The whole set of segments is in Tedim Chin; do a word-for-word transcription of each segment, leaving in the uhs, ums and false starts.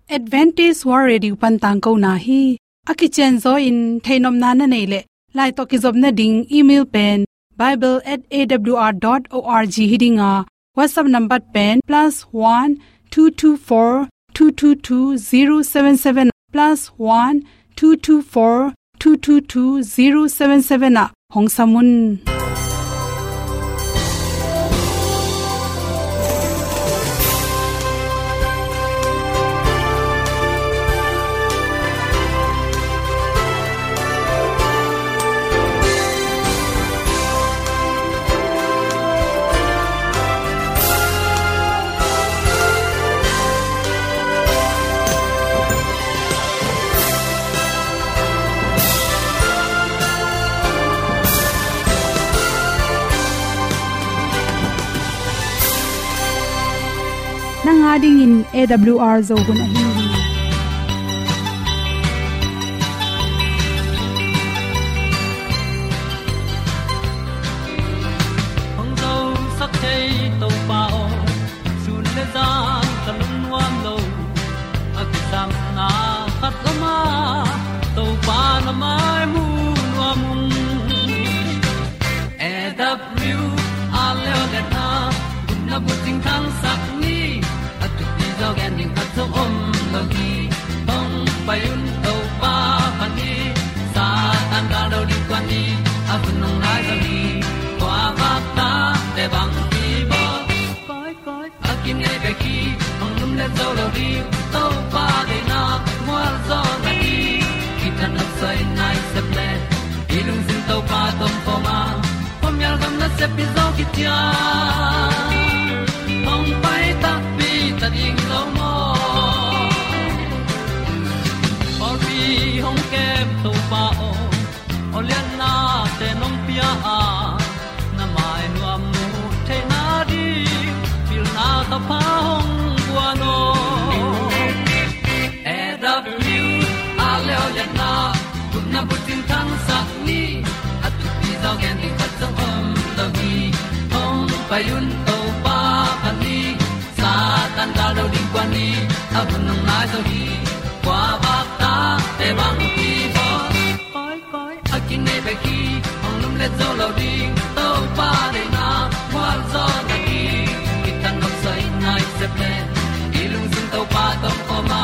Adventist World Radio pan tangkona hi. A kicianzaw in theihnopna na neih leh, lai tawh kizopna ding email pen bible at A W R dot org hi ding a, WhatsApp number pen plus one two two four two two two zero seven seven, plus one two two four two two two zero seven seven ah hong sam un. Nang a dingin A W R Zo hun ahi hi. Hong zosak thei Topa aw, sun le zan ka lungnuam lo. A kisapna khat om a, Topa na mai mu nuam ung. A W R Leo le na, gupna bucing thangsak ni. A thupi zaw gen ding khat zong om lo hi. Hong pai un Topa pan hi. Satan gal do ding kuan ni. A hun hong nai zaw hi. Kua bak ta te bang hi baw. Koi koi a kinei bek hi. Hong lum le zo lo ding, Topa deihna mual zaw na hi. Kithat nopsai nai sep le, i lungsim Topa tawh kawm a, khuamial gam nasep hi zaw kician. Hong pai takpi ta ding lo maw? Pawlpi hong kem Topa aw, awliatnate nong pia a, na mai nuam mu theihna ding pilna ka pha hong guan aw. A W R Leo le na, gupna bucing thangsak ni. A thupi zaw gen ding khat zong om lo hi. Hong pai un Topa pan hi. Satan gal do ding kuan ni. A hun hong nai zaw hi. Kua bak ta te bang hi baw. Koi koi a kinei bek hi. Hong lum le zo lo ding, Topa deihna mual zaw na hi. Kithat nopsai nai sep le, i lungsim Topa tawh kawm a,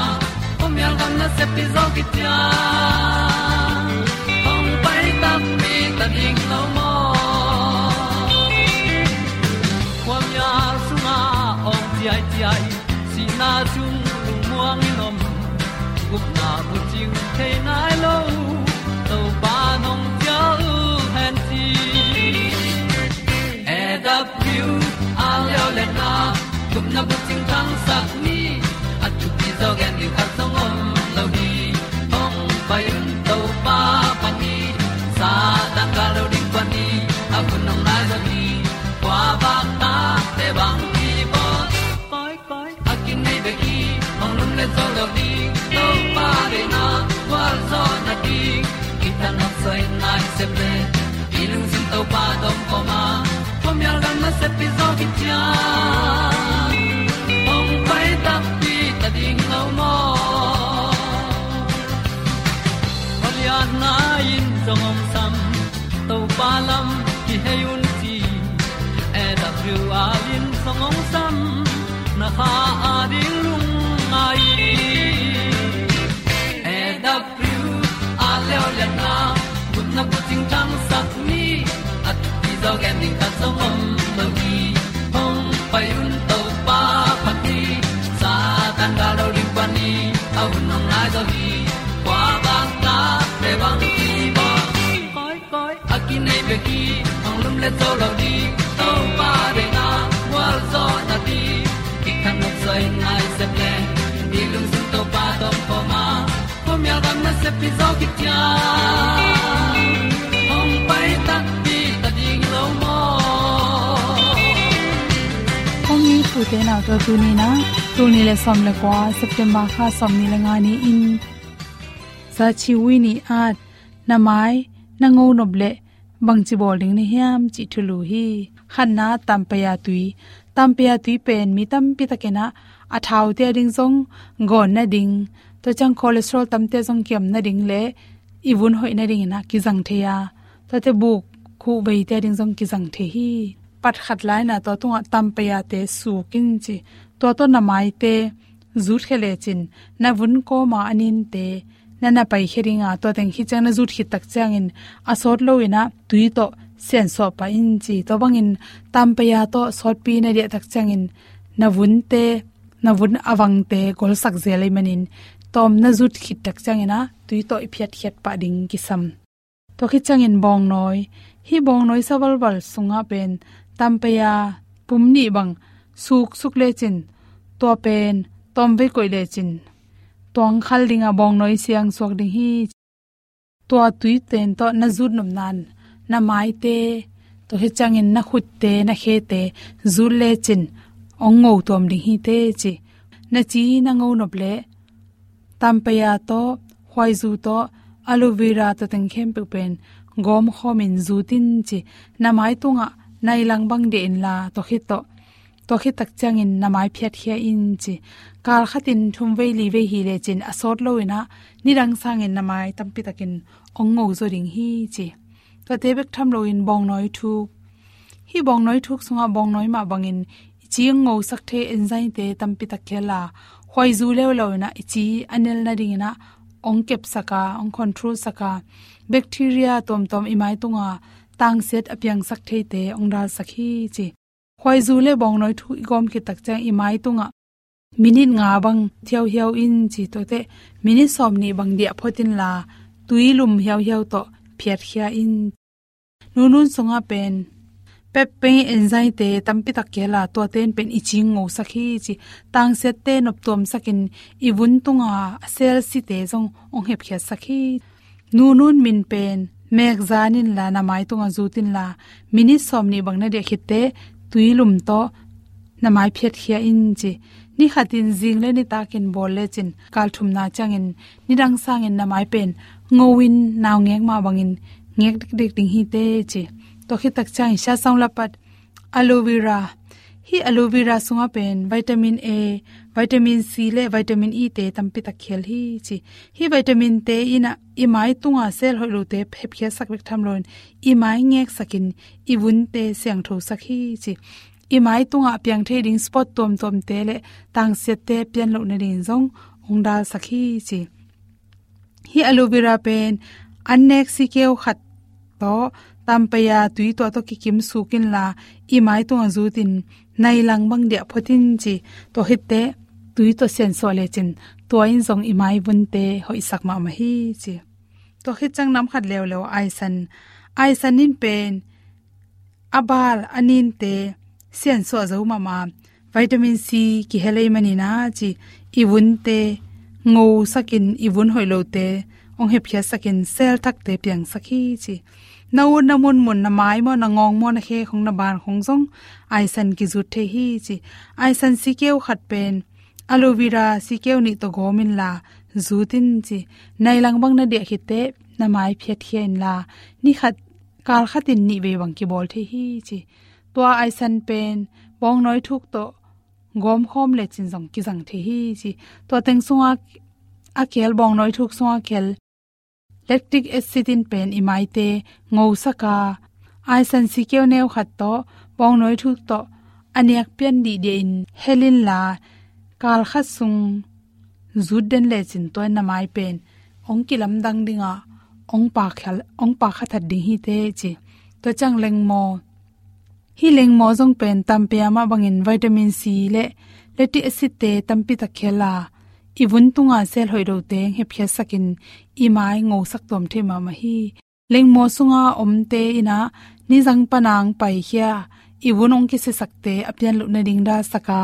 khuamial gam nasep hi zaw kician. Hong pai takpi ta ding lo maw? Khuamial sungah awng ciaiciai, sihna sung lungmuang in om, gupna bucing thei nai lo, Topa nong cial hen ci. A W R Leo le na, gupna bucing thangsak ni. A thupi zaw gen ding khat zong om lo hi. Hong pai un Topa pan hi. Satan gal do ding kuan ni. A hun hong nai zaw hi. Kua bak ta te bang hi baw. Koi koi a kinei bek hi. Hong lum le zo lo ding, Topa deihna mual zaw na ding. Kithat nopsai nai sep le, i lungsim Topa tawh kawm a, khuamial gam nasep hi zaw kician. Hong pai takpi ta ding lo maw? Awliatna in zong hong sam, Topa lam kihei un ci. A W R in zong hong sam, na kha a ding lungngai. A W R Leo le na, gupna bucing thangsak ni. A thupi zaw gen ding khat zong om lo hi. Hong pai un Topa pan hi. Satan gal do ding kuan ni. A hun hong nai zaw hi. Kua bak ta te bang hi baw. Koi koi a kinei bek hi. Hong lum le zo lo ding, Topa deihna mual zaw na ding. Kithat nopsai nai sep le, i lungsim Topa tawh kawm a, khuamial gam nasep hi zaw kician. Hong pai takpi ta ding lo maw? Kong it u te nau te, tuni in ah, tul nih le sawm le kua, September kha sawmnih le nga ni-in, Za Chi Wi Ni At, na mai na ngo nop leh bangci bawl ding na hiam cih thulu hi. Khatna, Tampaya tui. Tampaya tui pen mi tampi takin ah a thaute a ding zong gawn nading, tua ciang cholesterol tamte zong kiam nading le i vun hoih nading in ah kizang thei a, tuate buk khuh veite a ding zong kizang thei hi. Pat khat lai-in ah tua tungah tampayate suk in ci. Tua tawh na maite zutkhia lecin na vun kawma a ninte na na paikhia ding a, tua teng khit ciang na zut khit tak ciangin a sawt loin ah tui tawh siansuah pah in ci. Tua bangin tampaya tawh sawtpi na diah tak ciangin na vunte, na vun a vangte golsak zel ahih manin tawm na zut khit tak ciangin ah tui tawh i phiatkhiat pah ding kisam. Tua khit ciangin bawngnawi, hih bawngnawi sa valval sungah pen tampaya pum nih bang suksuk lecin, tua pen tawmvei koih lecin tuang khal ding a, bawngnawi siang suak ding hi. Tua tuiten tawh na zut nopna-in na maite, tua khit ciangin na khutte, na khete zut lecin hong ngo tuam ding hi teh ci. Na ci na ngo nop leh tampaya tawh, khuaizu tawh, aloe vera tawh teng khempeuh pen gawmkhawmin zut in ci. Na mai tungah nai lang bang diah inla, tua khit tawh, tua khit tak ciangin na mai phiatkhia in ci. Kal khatin thumvei livei hi lecin a sawt loin ah nidang sangin na mai tampi takin hong ngo zaw ding hi ci. Tuate bek tham loin bawngnawi thuk, hih bawngnawi thuk sungah bawngnawi mah bangin i ci hong ngosak thei enzyme-te tampi tak khel a, khuaizu leuleu in ah i ci a nel nadingin ah hong kepsak a, hong control sak a, bacteria tuamtuam i mai tunga tangsiat a piangsak theite hong dalsak hi ci. Khuaizu le bawngnawi thuk i gawm khit tak ciang i mai tungah minit nga bang thiauhiau in ci, tuate minit sawmnih bang diah phot inla, tui lum hiauhiau tawh phiatkhia in. Nunun sungah pen peptide enzyme-te tampi tak khel a, tuate in pen i ci hong ngosak hi ci. Tangsiatte noptuamsakin i vun tunga a cell site zong hong hepkhiatsak hi. Nunun min pen mek zan inla, na mai tungah zut inla, minit sawmnih bang na diah khit teh tui lum tawh na mai phiatkhia in ci. Ni khatin zing le nitakin bawl lecin kal thumna ciangin nidang sangin na mai pen ngo in, naungek mah bangin ngek dikdik ding hi teh ci. Tua khit tak ciangin sia sawng lapat, aloe vera. Hih aloe vera sungah pen vitamin A, vitamin C le vitamin E-te tampi tak khel hi ci. Hih vitamin-te in ah i mai tunga cell hoih lote hepkhiatsak bek tham loin i mai ngeksakin i vunte siangthosak hi ci. I mai tungah piang thei ding spot tuamtuamte le tangsiatte pian loh nadingin zong hong dalsak hi ci. Hih aloe vera pen an nek sikeu khat tawh tampaya tui tua tawh kikim suk inla, i mai tungah zut in nai lang bang diah phot in ci. Tua khit teh tui tawh siansuah lecin tua in zong i mai vunte hoihsak mahmah hi ci. Tua khit ciang nam khat leuleu aisan. Aisan in pen a bal a ninte siansuah zo mahmah, vitamin C kihel ahih manin ah ci, i vunte ngosakin i vun hoih lote hong hepkhiatsakin cell thakte piangsak hi ci. Na ut na munmun, na mai maw, na ngawng maw, na khe khong, na ban khong zong aisan kizut thei hi ci. Aisan sikeu khat pen aloe vera sikeu nih tawh gawm inla zut in ci. Nai lang bang na diah khit teh na mai phiatkhia inla, ni khat, kal khatin nih vei bang kibawl thei hi ci. Tua aisan pen bawngnawi thuk tawh gawmkhawm lecin zong kizang thei hi ci. Tua teng sungah a khel, bawngnawi thuk sungah khel lactic acid in pen i maite ngosak a, aisan sikeu neu khat tawh bawngnawi thuk tawh a niak pian dihdiah in hel inla, kal khat sung zut den lecin tua in na mai pen hong kilamdang ding a, hong pakha, hong pakha that ding hi teh ci. Tua ciang lengmaw, hih lengmaw zong pen tampaya mah bangin vitamin C le lactic acid-te tampi tak khel a, i vun tunga cell hoih lote hepkhiatsakin i mai ngosak tuam thei mahmah hi. Lengmaw sunga omte in ah nizang pan a hong paikhia i vun hong kisiasakte a pian loh nading dalsak a,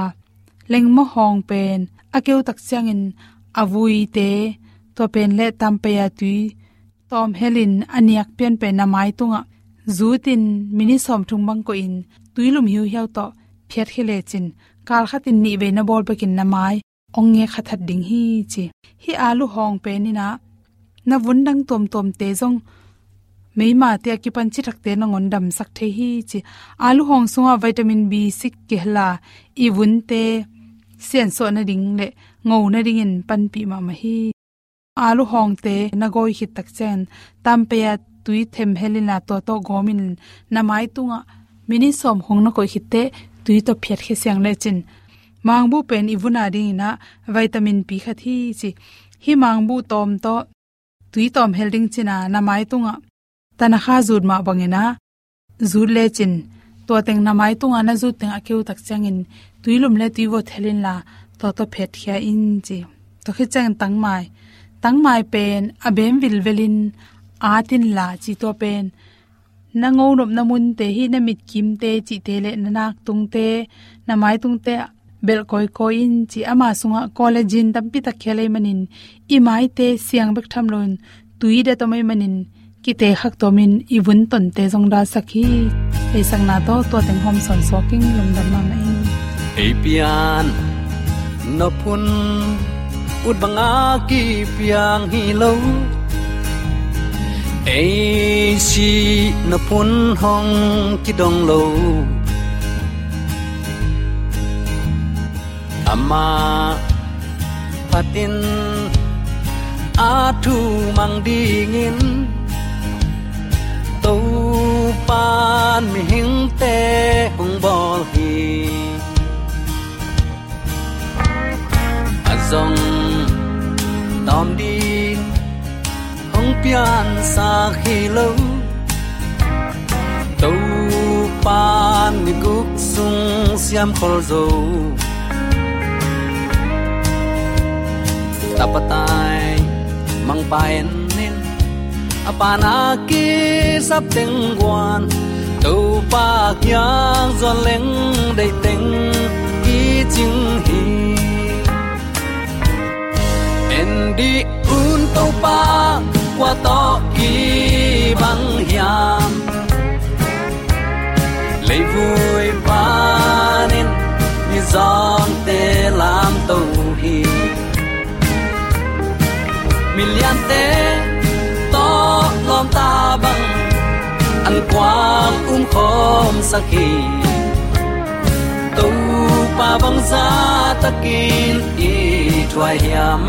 lengmaw hawng pen a keu tak ciangin a vuite, tua pen le tampaya tui tawm helin a niak pian pen na mai tungah zut in minit sawmthum bang koihin tui lum hiuhiau tawh phiatkhia lecin kal khatin nih vei na bawl bekin na mai hong ngekha that ding hi ci. Hih alu hawng pen in ah na vun dang tuamtuamte zong meimate a kipan cithakte nangawn damsak thei hi ci. Alu hawng sungah vitamin B six kihel a, i vunte siansuah nading le ngo nadingin panpih mahmah hi. Alu hawngte na gawi khit tak ciangin tampei-a tui them hel inla tua tawh gawm in na mai tungah minit sawm khawng na koih khit teh tui tawh phiatkhia siang lecin mangbuh pen i vun a dingin ah vitamin pi khat hi ci. Hih mangbuh tawm tawh tui tawm hel ding cin a na mai tungah tanakha zut mah bangin ah zut lecin tua teng na mai tungah na zut teng a keu tak ciangin tui lum le tui vot hel inla tua tawh phiatkhia in ci. Tua khit ciangin tangmai, tangmai pen a bem vilvelin at inla ci. Tua pen na ngo nopna munte hi, na mitkimte cihte le na naktungte, na maitungte ah belh kawikawi in ci. Ama sungah collagen tampi tak khia lei manin i maite siang bek tham loin tui det om ei manin kite khak tuamin i vun tonte zong dalsak hi. Theihsakna tawh tua teng hawm sawn suak ing. Lungdam mahmah ing. Ei pian nop hun ut banga kipiang hi lo, ei sih nop hun hong kidong lo. Amah phatin a thu mang dingin Topan mihingte hong bawl hi. A zong tawm ding hong piansak hi lo, Topan ni guk sung siam khol zo. Tapa tai mangpa en in, a pana kisap teng guan, Topa kiang zuan leng deih teng i cing hi. En dih un Topa kua tawh kibang hiam? Leivui panin mizawngte lamto hi. Miliante tawh lawmta bang an kuang umkhawmsak hi. Topa bangza takin i thuai hiam?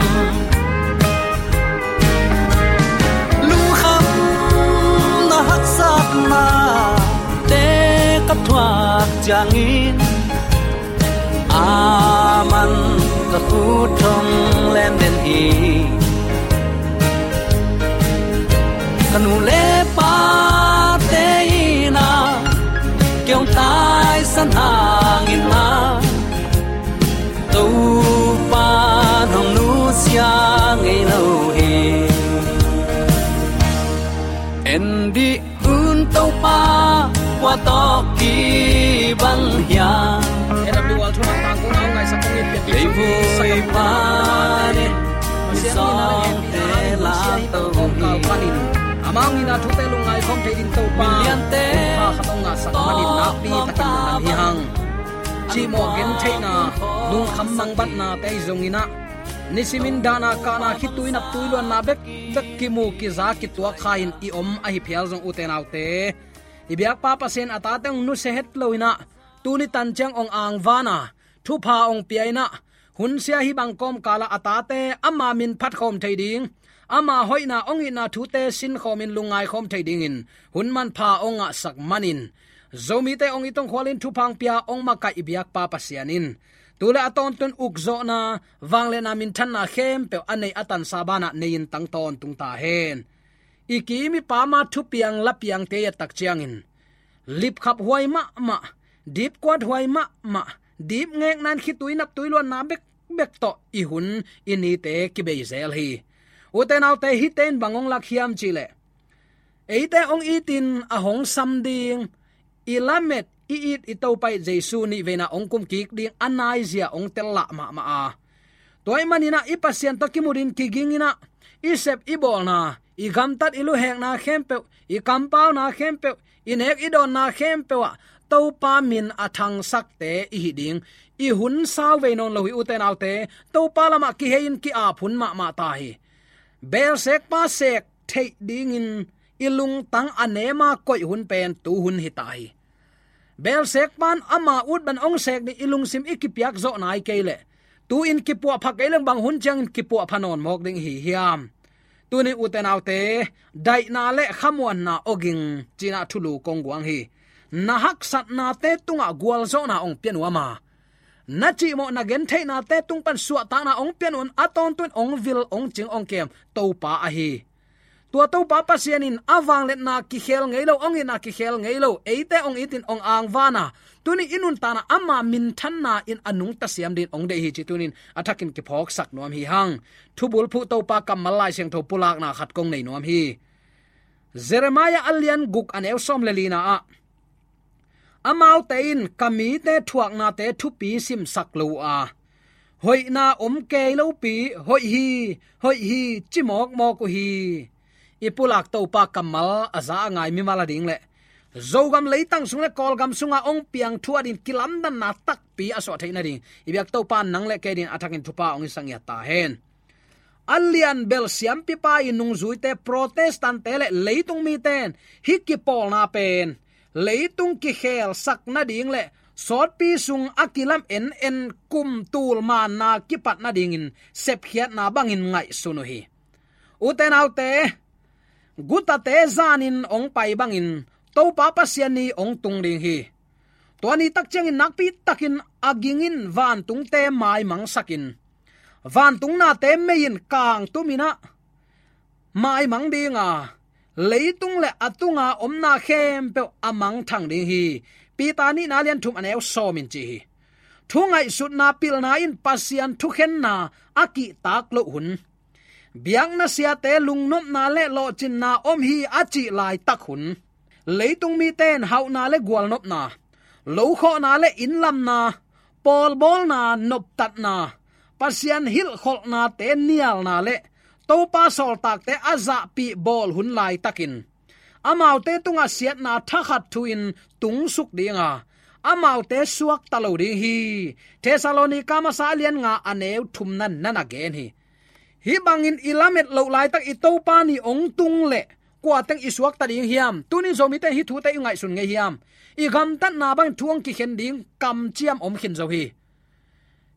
Lungkhamna haksatna te ka thuak ciangin a man ka khut thong lem den hi. Ka nu le pate in a kiong taisan hangin a Topa nong nusia ngei lo hi. En dih un Topa kua tawh kibang hiam? Leivui panin mizawngte lamto hi. Amah hong itna thute lungngai khawm thei ding Topa, Miliante khat hong ngahsak manin nakpi takin lungdam hi hang. Cihmawh gentheihna, lungkham mangbatnate ahi zongin ah, nisimin dahna kahna, khitui naptui luanna bekbek kimu kiza kituak kha-in i om ahi phial zong, ute naute, i biakpa Pasian a tate hong nusia het loin ah, tuni tan ciang hong angvan a, thupha hong pia in ah, hunsia hih bang kawmkal ah a tate ama min phatkhawm thei ding, ama hoihna hong itna thute sinkhawmin lungngai khawm thei dingin hun manpha hong ngahsak manin, Zomite hong it hong khualin thupha hong pia hong makaih i biakpa Pasian in tu le a tawntung ukzawhna, vangliatna, minthanna khempeuh a neih a tansa banah nei-in tang tawntung ta hen. I kim i pam a thupiang lapiangte i et tak ciangin lipkhap huai mahmah, dipkuat huai mahmah, dipngekna in khitui naptui luanna bekbek tawh i hun i nite kibei zel hi. Ute naute, hihte in bang hong lak hiam cihleh, eite hong itin a hong sam ding, i lamet, i it, i Topa i Jesu nihveina hong kumkik ding a naizia hong tel lah mahmah a, tua ahih manin ah i Pasian tawh kimu dingin kigingin ah, i sep i bawlna, i gamtat i luhekna khempeuh, i kampauna khempeuh, i nek i dawnna khempeuh ah Topa min a thangsakte i hi ding. I hun sauvei nawn lo hi, ute naute. Topa lamah kihei-in ki-ap hun mahmah ta hi. Belsekpa sek theih dingin i lungtang a nema koih hun pen tu hun hi ta hi. Belsekpa in ama ut bang hong sek ding i lungsim i kipiak zawh nai kei leh, Tu-in kipuahpha kei leng bang hun ciangin kipuahpha nawn mawk ding hi hiam? Tuni ute naute, daihna le khamuanna awging cinah thulu kong guang hi. Na haksatnate tungah gualzawhna ong pia nuam a, na cihmawh na gentheihnate tung pan suahtakna ong pia nuam, a tawntung ong vil ong cing ong kem Topa ahi. Tua Topa Pasian in a vangliatna kikhel ngei lo, ong itna kikhel ngei lo, eite ong itin ong angvan a, tuni i nuntakna ama minthanna in a nungta siam dingin ong deih hi ci tunin a thakin kiphawksak nuam hi hang. Thubulphuh Topa kammal Lai Siangtho pulakna khat kong nei nuam hi. Jeremiah a lian guk a neu sawm le lina ah, amaute in ka mite thuaknate thupi simsak lo uh a, hoihna om kei lopi, hoih hi, hoih hi, ci mawkmawk uh hi. I pulak Topa kammal a za a ngai mimal a ding le Zogam leitang sung le Kawlgam sunga ong piang thu a din kilamdanna takpi a suah theih nading i biak Topa nang le kei din a thakin thupha ong hisak ngiat ta hen. A lian bel siampipa i nungzuite, Protestant-te le leitung mite in hih kipawlna pen leitung kikhelsak nading le sawtpi sung a kilam en en kum tul manna kipat nadingin sepkhiatna bangin ngaihsun uh hi. Ute naute, gutate zanin ong pai bangin Topa Pasian ni ong tung ding hi. Tua ni tak ciangin nakpi takin a gingin vantungte maimangsakin, vantung nate mei in kangtumin ah maimang ding a, leitung le a tunga omna khempeuh a mangthang ding hi. Peter nihna lian thum a neu sawm in ci hi. Thu ngaihsutna pilna in Pasian thukhenna a kihtak loh hun, biakna siate lungnopna le lawhcinna om hi a cih laitak hun, leitung mite in hauhna le gualnopna, lokhawhna le innlamna, pawlbawlna, noptatna, Pasian hilhkholhnate nialna le Topa sawltakte a zahpih bawl hun laitakin, amaute tungah siatna thakhat thu-in tungsuk ding a, amaute suakta lo ding hi. Thessalonika masa a lian nga a neu thumna in na na gen hi. Hih bangin i lamet loh laitak i Topa ni ong tung leh kua teng i suakta ding hiam? Tuni Zomite hih thute i ngaihsun ngei hiam? I gamtatna bangin thu ong kikhen ding kamciam om khin zo hi.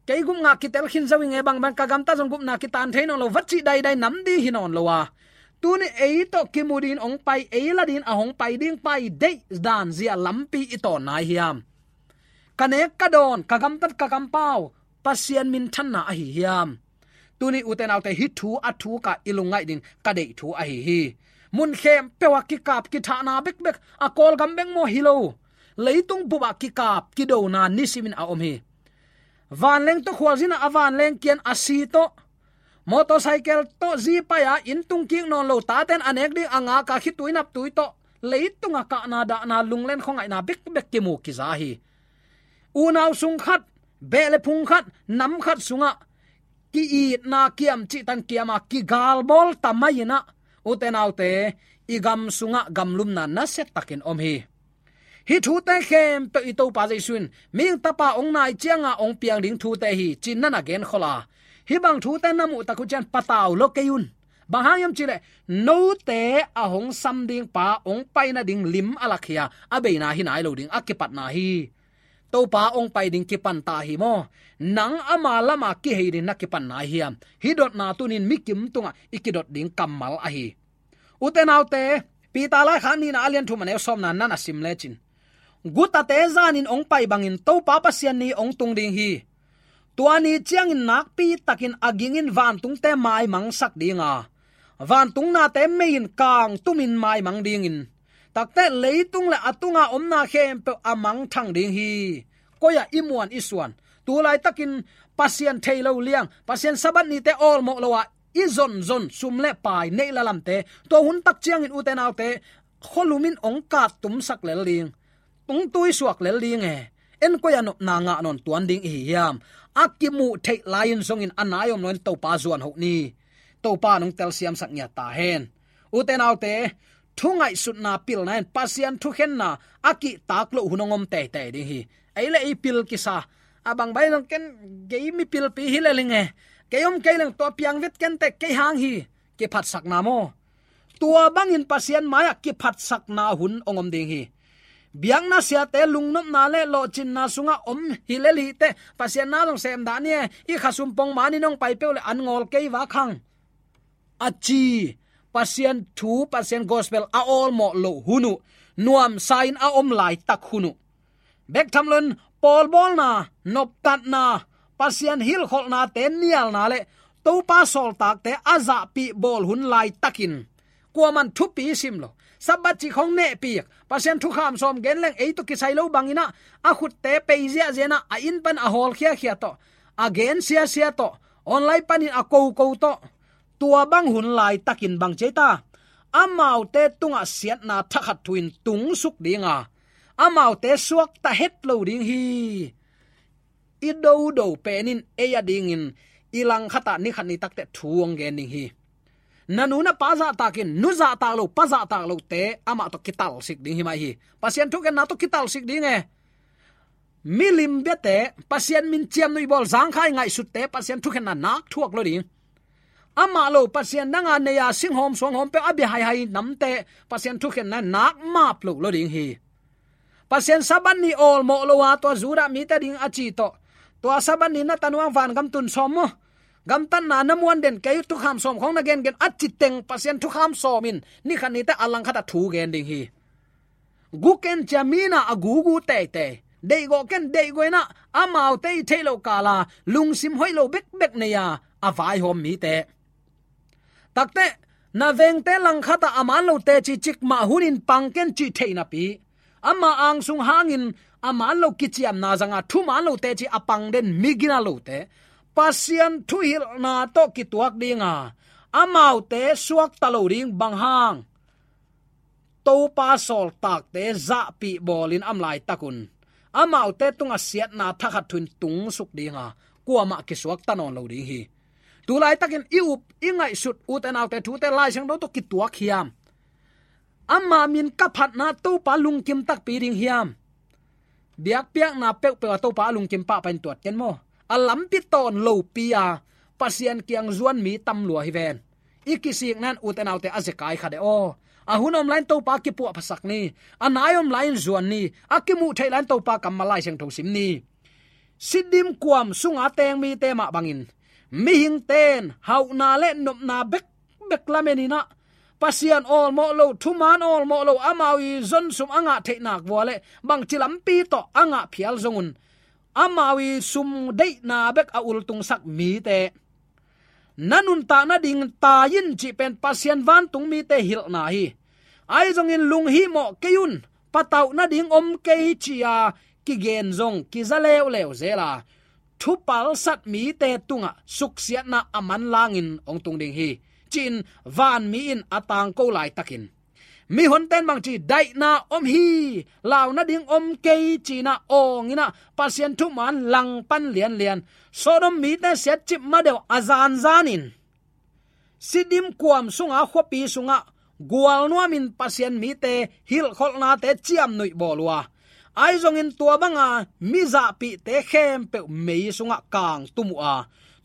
Kei gup ngah kitel khin zo i nge, bangbang ka gamtat zong gupna kitan thei nawn lo, va cih daidai nam ding hi nawn lo a. Tuni ei tawh kimu dingin ong pai, ei la dingin a hong pai ding pai deih dan zia lampi i tawn nai hiam? Ka nek ka dawn, ka gamtat ka kampau Pasian minthanna ahi hiam? Tuni ute naute, hih thu a thuk a i lungngaih ding ka deih thu ahi hi. Mun khempeuh ah kikap kithahna bekbek, a Kawlgam bek maw hi lo, leitung bup ah kikap kidona nisimin a om hi. Vanleng tawh khualzin ah a vanleng kian a si tawh, motorcycle tawh zi pai a inn tung kik nawn lo, taten a nek ding a ngak a khitui naptui tawh, leitung a kahna dahna lunglen khuangaihna bekbek kimu kiza hi. Unau sung khat, beh le phung khat, nam khat sungah ki-itna kiam cihtan kiam a kigalbawl ta mai-in ah, ute naute, i gam sungah gamlumna nasia takin om hi. Hih thute khempeuh i Topa Jesu in mihing tapa ong nai cianga ong piang ding thute hi, ci-in na na genkhol a. Hih bang thute na muh tak uh ciang patau lo kei un. Bang hang hiam cih leh note a hong sam ding pa ong pai nading lim a lak hi a, a beina hi nai lo ding a kipatna hi. Topa ong pai ding kipan ta hi maw? Nang ama lama kihei ding na kipan nai hiam? Hih dotna tunin mikim tungah i kidot ding kammal ahi. Ute naute, Peter laikhak nihna a lian thum a neu sawmna na na sim lecin, gutate zanin ong pai bangin Topa Pasian ni ong tung ding hi. Tua ni ciangin nakpi takin a gingin vantungte maimangsak ding a, vantung nate mei in kangtumin maimang dingin, takte leitung le a tunga omna khempeuh a mangthang ding hi. Koi ah i muan i suan? Tu laitakin Pasian thei lo liang, Pasian Sabbath nite awlmawh lo a i zonzon sum le pai neih le lamte, tua hun tak ciangin ute naute, khualum in ong kattumsak lel ding, ong tuisuak lel ding e. En koi a nopna ngah nawn tuan ding i hi hiam? A kimuh theih lai-in zongin a nai om loin Topa zuan hoh ni. Topa nong telsiamsak ngiat ta hen. Ute naute, thu ngaihsutna pilna in Pasian thukhenna a kihtak loh hun ong om teitei ding hi. Ei le ei pil kisa. A bang bai zong ken gei mipilpi hi le ling e. Kei om kei leng tua piang vet ken teh kei hang hi. Kiphatsakna maw? Tua bangin Pasian mai-ah kiphatsakna hun ong om ding hi. Biakna siate lungnopna le lawhcinna sungah om hi lel hi teh, Pasian na zong sem dah ni e, i khasum pong manin hong pai peuh le an ngawl kei vak hang, a ci. Pasian thu, Pasian gospel a awlmawh loh hun uh, nuamsa in a om laitak hun uh, bek tham loin pawlbawlna, noptatna, Pasian hilhkholhnate nialna le Topa sawltakte a zahpih bawl hun laitakin kuaman thupi sim lo. Sabbath cih khawng nehpih, Pasian thukham sawm gen leng ei tawh kisai lo bangin ah, a khutte pei ziahziah in ah, a inn pan a hawlkhiakhia tawh, a gen siasia tawh, online panin a koko tawh, tua bang hun laitakin bang ci ei ta? Amaute tungah siatna thakhat thu in tungsuk ding a, amaute suakta het lo ding hi. I dodo pen in ei adingin i langkhatah ni khat ni takteh thu hong gen ding hi. Na nu na pa zahtak in, nu zahtak lo, pa zahtak lote amah tawh kitalsik ding hi mah hi. Pasian thukhenna tawh kitalsik ding e. Milim biate, Pasian min ciamnuih bawl, zangkhai ngaihsutte, Pasian thukhenna nak thuak lo ding. Amah lo Pasian danga nei a singhawm suanghawm peuh a bia haihai namte, Pasian thukhenna nak map lo lo ding hi. Pasian Sabbath ni awlmawh lo a, tua Judah mite ding a ci tawh, tua Sabbath ni na tanuang vangam tun sawm maw, gamtatna na muan den kei uh, thukham sawm khawng na gengen a ci teng, Pasian thukham sawm in ni khat ni teh a langkhatah thu gen ding hi. Guken cia mina a gugu teitei, deihgawh ken deihgawh in ah, amaute i theih loh kala lungsim hoih lo bekbek nei a, a vaihawm mite. Takteh, na vengte langkhatah a man lo teci cikmah hunin pang ken cih theih napi, ama angsung hangin a man lo kiciamna zanga thuman lo teci a pang den migina lote, Pasian thuhilhna tawh kituak dinga, amaute suakta lo ding. Bang hang? Topa sawltakte zahpih bawlin a om laitakun, amaute tungah siatna thakhat thu in tungsuk dinga, kuamah kisuakta nawn lo ding hi. Tu laitakin i up, i ngaihsut, ute naute thute Lai Siangtho tawh kituak hiam? Ama min ka phatna Topa lungkim takpi ding hiam? Biakpiakna peuhpeuh a Topa a lungkim pahpah in tuat ken maw. A lampi tawn lopi a, Pasian kiang zuan mi tam lua hi ven. I kisikna in ute naute a zekai kha de aw. A hun om lai-in Topa kipuahphasak ni. A nai om lai-in zuan ni. A kimuh theih lai-in Topa kammal Lai Siangtho sim ni. Siddim kuam sunga teng mite mah bangin, mihingte in hauhna le nopna bekbek lamenin ah, Pasian awlmawh lo, thuman awlmawh lo, amau i zonsum a ngah theih nak vua le bangci lampi tawh a ngah phial zongun, amau i sum deihna bek a ultungsak mite, na nuntak nading tai in cih pen Pasian vantung mite hilhna hi. Ahi zongin lunghimawh kei un, patauh nading om kei ci-a kigen zong kiza leuleu zel a, thupalsat mite tungah suksiatna a manlangin hong tung ding hi, ci-in vanmi in a tangko laitakin, mihonte in bangci, daihna om hi, lau nading om kei ci-in ah awngin ah, Pasian thuman langpan lianlian, Sodom mite siatcip madeuh a zanzanin, Siddim kuam sunga khuapi sungah gualnuamin Pasian mite hilhkholhnate ciamnuih bawl uh a, ahi zongin tua banga mi zahpihte khempeuh mei sungah kangtum uh a,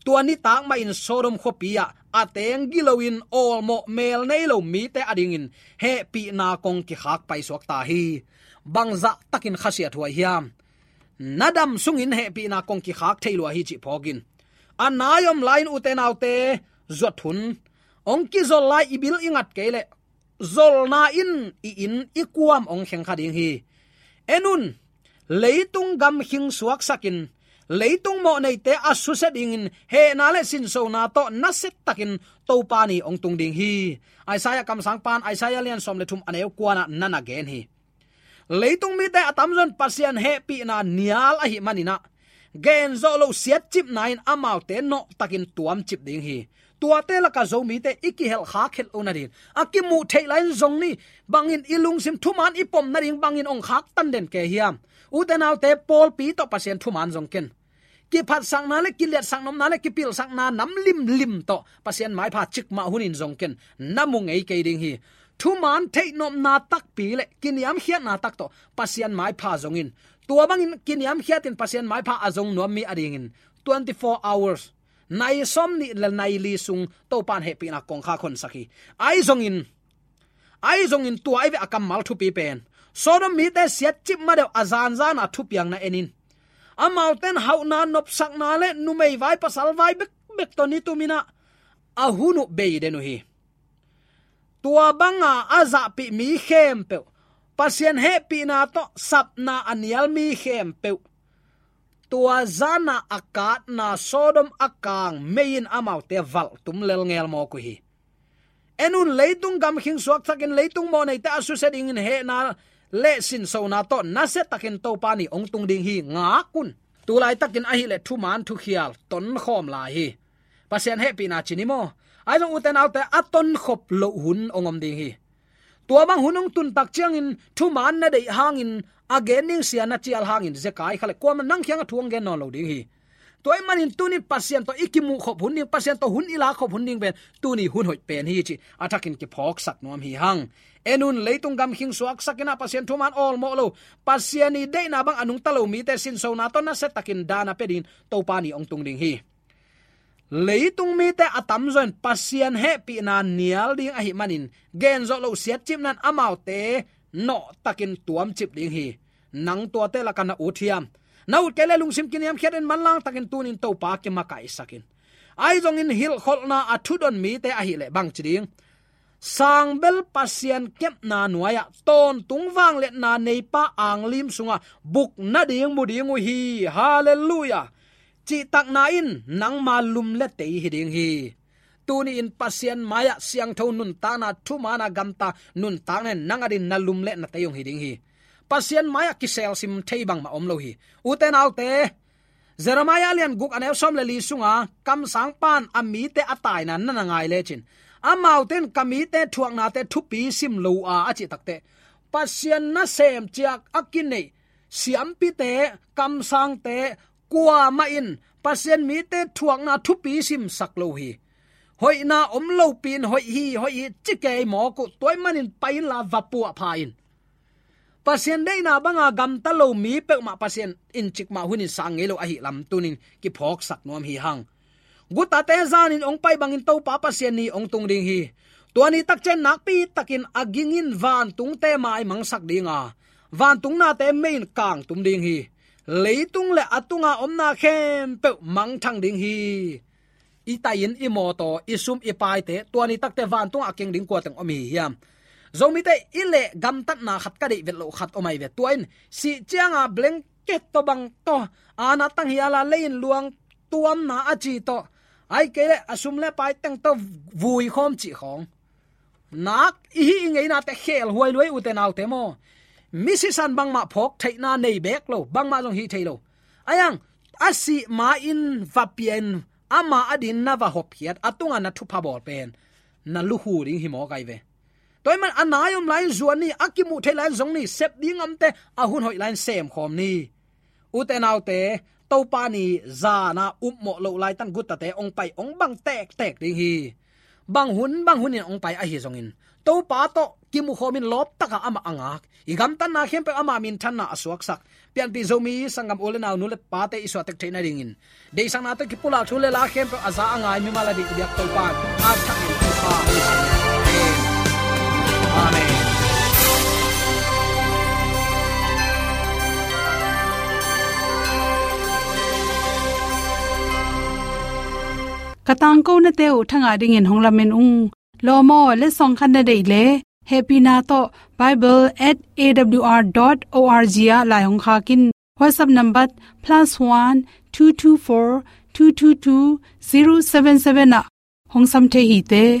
tua nitak mahin Sodom khuapi ah a teng giloin awlmawh mel nei lo mite adingin hehpihna kong kikhak paisuak ta hi. Bangzah takin khasiathuai hiam? Na dam sungin hehpihna kong kikhak thei lua hi cih phawkin, a nai om lai-in ute naute zuat hun, hong kizol lai i bil i ngat kei leh, zolna in i inn i kuam hong kheng kha ding hi. En un, leitung gamkhing suaksakin, leitung mawhneite a susia dingin hehna le sinsona tawh nasiatakin Topa ni hong tung ding hi. Isaiah kamsangpan, Isaiah lian sawm le thum, a neu kuanah na na gen hi. Leitung mite a tamzaw in Pasian hehpihna nial ahih manin ah, genzawh loh siatcipna in amaute nawhtakin tuamcip ding hi. Tuate lakah Zomite i kihelh khak het lo nading, a kimuh theih lai-in zong ni, bangin i lungsim thuman i pom nading bangin hong khaktan den kei hiam? Ute naute, pawlpi tawh Pasian thuman zong ken. Kiphatsakna le kiliatsak nopna le kipilsakna nam limlim tawh Pasian maipha cikmah hunin zong ken. Na mu ngei kei ding hi. Thuman theih nopna takpi le kiniamkhiatna tak tawh Pasian maipha zongin, tua bangin kiniamkhiatin Pasian maipha a zong nuam mi adingin twenty-four hours, nai sawmnih le nai li sung Topan hehpihna kongkhak honsak hi. Ahi zongin, ahi zongin tua ahi ve a kammal thupi pen, Sodom mite siatcip madeuh a zanzan a thupiakna en in. Amaute in hauhna nopsakna le numei vai pasal vai bekbek tawh ni tumin ah a hun uh bei den uh hi. Tua banga a zahpih mi khempeuh, Pasian hehpihna tawh sapna a nial mi khempeuh, tua zana a katna Sodom a kang mei in amaute valhtum lelngel mawk uh hi. En un, leitung gamkhing suaksakin leitung mawhneite a susia dingin hehna le sinsona tawh nasiatakin Topa ni hong tung ding hi. Ngak un. Tulaitakin ahileh thuman thukhial tonkhawm lai hi. Pasian hehpihna ci ni maw? Ahi zong ute naute, a tonkhop loh hun hong om ding hi. Tua bang hun hong tun tak ciangin thuman na deih hangin, a gen ding sia na cial hangin zekai kha le kuamah nang kiangah thu hong gen nawn lo ding hi. Tua ahih manin tuni Pasian tawh i kimuh khop hun ding, Pasian tawh hun i lak khop hun ding pen tuni hun hoih pen hi cih a thakin kiphawksak nuam hi hang. En un, leitung gamkhing suaksakin ah Pasian thuman awlmawh lo, Pasian i deihna bang a nungta lo mite sinsona tawh nasiatakin daan a pia dingin Topa ni hong tung ding hi. Leitung mite a tamzaw in Pasian hehpihna nial ding ahih manin, genzawh loh siatcipna in amaute nawhtakin tuamcip ding hi. Nang tuate lakah na ut hiam? Na ut kei leh lungsim kiniamkhiat in manlangtakin tunin Topa kimakaihsak in. Ahi zongin hilhkholhna a thudon mite ahileh bangci ding? Sangbel Pasian kepna nuai-ah tawntung vangliatna neipa anglim sungah buk nading mu ding uh hi. Halleluiah. Cihtakna in nangma lum le tei hi ding hi. Tuni-in Pasian mai-ah siangtho nuntakna, thuman a gamta nuntakna in nang adingin na lum le na tei hong hi ding hi. Pasian mai-ah kiselsim thei bangmah om lo hi. Ute naute, Jeremiah a lian guk a neu sawm le li sunga kamsangpa in a mite a taina na na ngai lecin, amaute in ka mite thuaknate thupi sim lo uh a, a cih takteh, Pasian nasem ciat a kineih siampite, kamsangte, kuamah in Pasian mite thuakna thupi simsak lo hi. Hoihna om lopi-in hoih hi, hoih hi ci kei mawk uh. Tua ahih manin pai inla va puahpha in. Pasian deihna banga gamta lo mi peuhmah Pasian in cikmah hunin sang ngei lo ahih lam tunin kiphawksak nuam hi hang. Gutate zanin hong pai bangin Topa Pasian ni hong tung ding hi. Tua ni tak ciang nakpi takin a ging in vantungte mai mangsak ding a, vantung nate mei in kangtum ding hi. Leitung le a tunga omna khempeuh mangthang ding hi. I tai-in i mawtaw, i sum i paite, tua ni takte vantungah a keng ding kua teng om hi hiam? Zomite i leh gamtatna khat ka deih vet loh khat om ahi ve. Tua in sih cianga blanket tawh bang tawh, ana tang hiala lei-in luang tuamna a ci tawh, ahih kei leh a sum le pai teng tawh vui khawm cih khawng. Nak i hih i ngeinate khelhuai lua hi ute naute maw? Mi sisan bangmah phawk theihna nei beek lo, bangmah zong hih thei lo. Ahi hang a sih ma-in va pia-in ama adingin na va hopkhiat, a tungah na thupha bawl pen na lukhu ding hi mawk ahi ve. Tua ahih man a nai om lai-in zuan ni, a kimuh theih lai-in zong ni, sep ding a omte a hun hoih lai-in semkhawm ni. Ute naute, Topa ni zana upmawh loh laitan gutate hong pai hong bang tektek ding hi. Bang hun bang hunin hong pai ahi zongin, Topa tawh kimukhawmin lawptaka amah a ngak, i gamtatna khempeuh ama minthanna a suaksak, pianpih Zomi sanggam u le nau, nu le pate i suahtek theih nadingin, deihsakna tawh kipulak thu le la khempeuh a za a ngai mimal a ding i biak Topa in a thakin thupha. Amen. Ka tangkonate uh thangah dingin hong lamen ung. Lawm aw, letsong khat na deih leh, hehpihna tawh bible at A W R dot O R G ah lai hong khak in. WhatsApp number plus one two two four two two two zero seven seven ah hong sam thei hi te.